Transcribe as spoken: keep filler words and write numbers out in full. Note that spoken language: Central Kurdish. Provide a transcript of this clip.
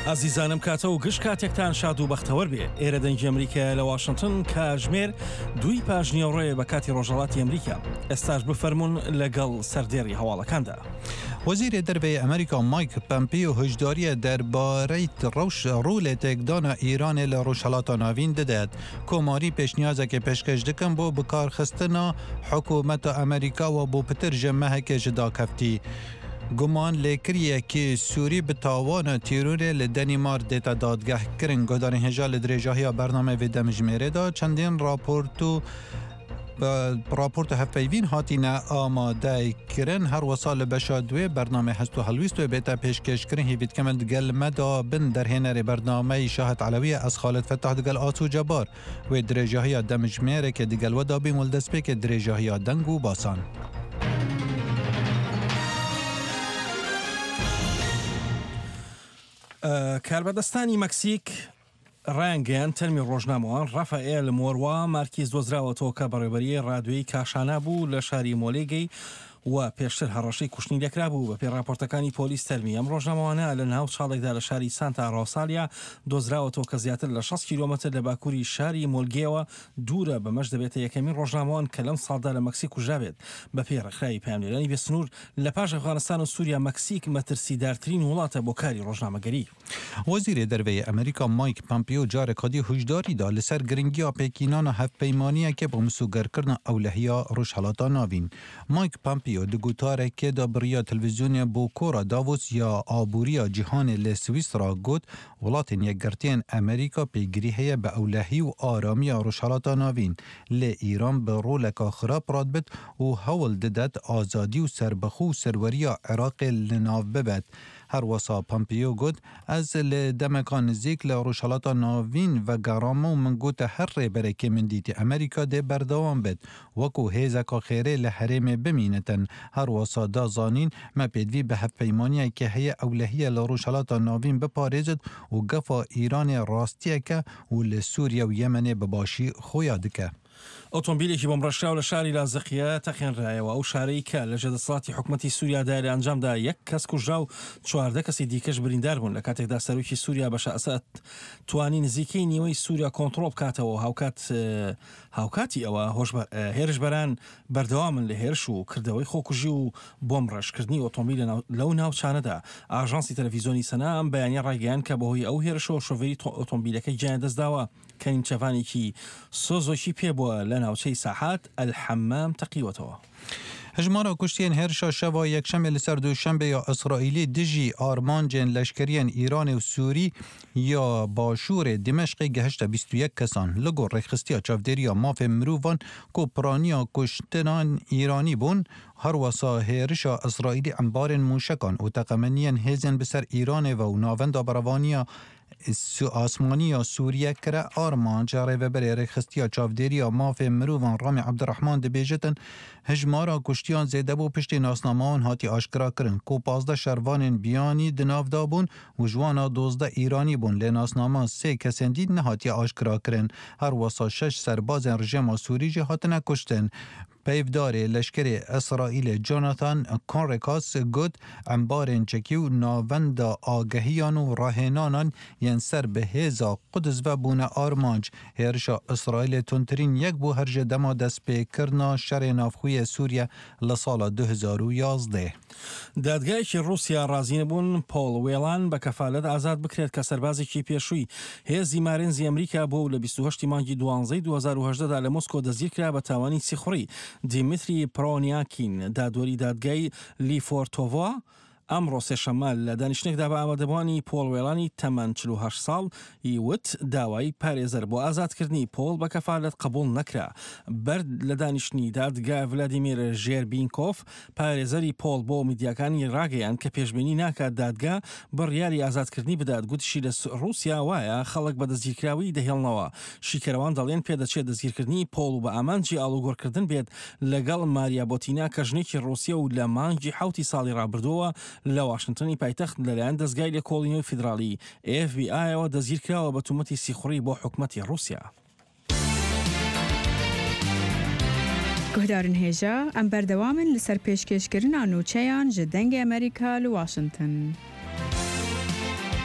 ئازیزانم کاتە و گشت کاتێکتان شاد و بەختەوەر بێ. ئێرە دەنگی ئەمریکایە لە واشنگتن، کاژمێر دووی پاژنیەوەڕێ بە کاتی ڕۆژهەڵاتی ئەمریکا. ئێستاش بفەرمونون لەگەڵ سەردێڕی هەواڵەکاندا. وەزیری دەرەوەی ئەمریکا مایک پەمپیۆ هۆشداریە دەربارەی ڕەوش ڕوو تێکدانا ئیرانێ لە ڕۆژهەڵاتا ناوین ددات. کۆماری پێشنیازێکی پێشکەش دکەن بۆ بکارخستنا حکوومەت ئەمریکا و بۆ پتر ژ مەهەکێ ژ داکەفتی. گومان لێکریەکی سووری بە تاوانە تیرۆرێ لە دەنیمارک دێتە دادگەه کرن. گۆدارین هێژا لە درێژاهیا بەرنامەی ڤێ دەمژمێرێدا چەندین ڕاپۆرت و ڕاپۆرت هەفپەیڤین هاتینە ئامادە کرن. هەروەسا لە بەشا دوێ بەرنامەی هەست و هەڵویست وێ بێتە پێشکێشکردن. هێڤی دکەم دگەل مەدا بن دەرهێنەرێ بەرنامەی شاهد عەلەویە ئەز خالد فەتاح دگەل ئاسو جەبار وێ درێژاهیا دەمژمێرێکێ دگەل وەدا بین وەل دەستپێکێ درێژاهیا دەنگ و باسان. کاربەدەستانی مەکسیک ڕایانگەیان تەرمی ڕۆژنامەوان ڕافائێل مۆروا مارکیز دۆزراوەتەوە کە بەڕێوەبەری ڕادیۆی کاشانا بوو لە شاری مۆلێگەی و پێشتر هەڕەشەی کوشتنی لێکرا بوو. بەپێی ڕاپۆرتەکانی پۆلیس تەرمی ئەم ڕۆژنامەوانە لە ناو چاڵێکدا لە شاری سانتا ڕۆسالیا دۆزراوەتەوە کە زیاتر لە شەست کیلۆمەتر لە باکووری شاری مۆلگێوە دوورە. بەمەش دەبێتە یەکەمین ڕۆژنامەوان کە لەم ساڵدا لە مەکسیک کوژرابێت. بەپێی ڕێکخراوی پەیامنێرانی بێسنوور لە پاش ئەفغانستان و سووریا مەکسیک مەترسیدارترین وڵاتە بۆ کاری ڕۆژنامەگەری. وەزیری دەرەوەی ئەمریکا مایک پەمپیۆ جارێکادی هۆشداری دا لەسەر گرنگیا پێکینانا هەفپەیمانیەکێ بۆ مسۆگەرکردنا ئەولەهیا ڕۆژهەڵاتا ناوین. مایک پەمپیۆ د گوتارێکێ دا بڕیا تەلەڤیزیۆنێ بۆ کۆڕا داڤۆس یا ئابووریا جیهانێ لە سویسرا گوت وڵاتێن یەکگرتیێن ئەمریکا پێگیری هەیە بە ئەولەهی و ئارامییا ڕۆژهەڵاتا ناوین، لێ ئیران بە ڕۆلەکا خراپ ڕادبت و هەوڵ ددات ئازادی و سەربەخۆ و سەروەریا عێراقێ لەناو ببەت. هەروەسا پەمپیۆ گوت ئەز لە دەمەکا نزیک لە ڕۆژهەڵاتا ناوین ڤەگەڕامە و من گوتە هەر ڕێبەرێکێ من دیتی ئەمریکا دێ بەردەوام بێت وەکو هێزەکا خێرێ لە هەرێمێ بمینێتن. هەروەسا دا زانین مە پێدڤی بە هەفپەیمانیەکێ هەیە ئەولەهیە لە ڕۆژهەڵاتا ناوین بپارێزت و گەفا ئیرانێ ڕاستیەکە و لە سووریا و یەمەنێ بە باشی خۆیا دکە. ئۆتۆمبیلێکی بۆمبڕێژکراو لە شاری لازقیە تەقێنرایەوە، ئەو شارەی کە لە ژێدەسەڵاتی حکوومەتی سووریادا لە ئەنجامدا یەک کەس کوژرا و چواردە کەسی دیکەش بریندار بوون. لە کاتێکدا سەرۆکی سووریا بەشار ئەسەد توانی نزیکەی نیوەی سووریا کۆنترۆڵ بکاتەوە، هاوکات هاوکاتی ئەوە هێرشبەران بەردەوامن لە هێرش و کردەوەی خۆکوژی و بۆمبڕێژکردنی ئۆتۆمبیل لەو ناوچانەدا. ئاژانسی تەلەڤیزیۆنی سەنا ئەم بەیانیە ڕایگەیاند کە بەهۆی ئەو هێرشەوە شۆفێری ئۆتۆمبیلەکەی گیانی دەستداوە کە نیمچەڤانێکی سۆزۆکی پێبووە لە ناوچەی ساحات ئەلحەمام تەقیوەتەوە. هەژمارا کوشتیێن هێرشا شەوا یەکشەمێ لەسەر دووشەنبێ یا ئیسرائیلی دژی ئارمانجێن لەشکریێن ئیرانێ و سووری یا باشوورێ دیمەشقێ گەهشتە بیست و یەک کەسان. لە گۆر ڕێکخستیا چاودێریا مافێ مرۆڤان کو پرانیا کوشتنان ئیرانی بوون، هەروەسا هێرشا ئیسرائیلی ئەمبارێن موشەکان و تەقەمەنیێن هێزێن بسەر ئیرانێ و ناوەندا بەرەڤانیا ئاسمانی یا سووریە کرە ئارمانج. ڕێڤەبەرێ ڕێکخستیا چاودێریا مافێ مرۆڤان ڕامی عەبدولڕەحمان دەبێژێتن هەژمارا کوشتیان زێدە بوو پشتی ناسنامەوان هاتی ئاشکرا کرن کو پازدە شەرڤانێن بیانی دناودا بوون و ژوانا دۆزدە ئیرانی بوون، لێ ناسنامە سێ کەسێن دی نەهاتی ئاشکرا کرن. هەروەسا شەش سەربازێن ڕژێما سووری ژی هاتنە کوشتن. پەیڤدارێ لەشکرێ ئیسرائیلێ جۆناثان کۆنڕیکاس گوت ئەمبارێن چەکی و ناوەندا ئاگەهیان و ڕاهێنانان یەن سەر بە هێزا قودس ڤە بوونە ئارمانج. هێرشا ئیسرائیلێ توندترین یەک بوو هەرژێ دەما دەستپێکردنا شەڕێ ناوخۆیێ سووریا لە ساڵا دوو هەزار و یازدە. دادگایەکی ڕووسیا ڕازی نەبوون پۆڵ وێڵان بە کەفالەت ئازاد بکرێت کە سەربازێکی پێشووی هێزی مارینزی ئەمریکا بوو و لە بیست و هەشتی مانگی دوانزەی دوو هەزار و هەژدە دا لە مۆسکۆ دەستگیرکرا بە تاوانی سیخوڕی. دیمیتری پرۆنیاکین دادوەری دادگای لیفۆرتۆڤا ئەمڕۆ سێشەممە لە دانیشتنێکدا بە ئامادەبووانی پۆڵ وێڵانی تەمەن چل و هەشت ساڵ وت داوای پارێزەر بۆ ئازادکردنی پۆڵ بە کەفالەت قبوڵ نەکرا. بەرد لە دانیشتنی دادگا ڤلادیمیر ژێربینکۆف پارێزەری پۆڵ بۆ میدیاکانی ڕاگەیاند کە پێشبینی ناکات دادگا بڕیاری ئازادکردنی بدات. گوتیشی لە ڕووسیا وایە خەڵک بە دەستگیرکراوی دەهێڵنەوە. شیکەرەوان دەڵێن پێدەچێت دەستگیرکردنی پۆڵ و بە ئامانجی ئاڵوگۆڕکردن بێت لەگەڵ ماریا بۆتینا کە ژنێکی ڕووسیە و لە مانگی حەوتی ساڵی ڕابردووە لە واشنگتنی پایتەخت لەلایەن دەستگای لێکۆڵینەوەی فیدراڵی ئێف بی ئایەوە دەستگیرکراوە بە تومەتی سیخوڕی بۆ حکومەتی ڕووسیا. گوهدارن هێژا ئەم بەردەوامن لەسەر پێشکێشکردنا نوچەیان ژ دەنگێ ئەمریکا لە واشنگتن.